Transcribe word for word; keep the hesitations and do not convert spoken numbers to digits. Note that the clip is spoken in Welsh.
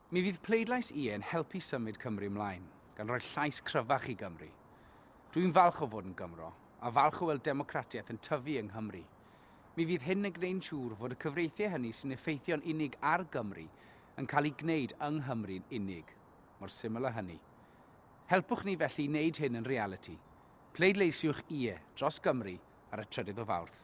Mi fydd pleidlais ie yn helpu symud Cymru ymlaen, gan roi llais cryfach i Gymru. Dwi'n falch o fod yn Gymro, a falch o weld democratiaeth yn tyfu yng Nghymru. Mi fydd hyn yn gwneud yn siŵr fod y cyfreithiau hynny sy'n effeithio'n unig ar Gymru yn cael ei gwneud yng Nghymru'n unig. Mor syml â hynny. Helpwch ni felly i wneud hyn yn realiti. Pleidleisiwch ie dros Gymru ar y trydydd o Fawrth.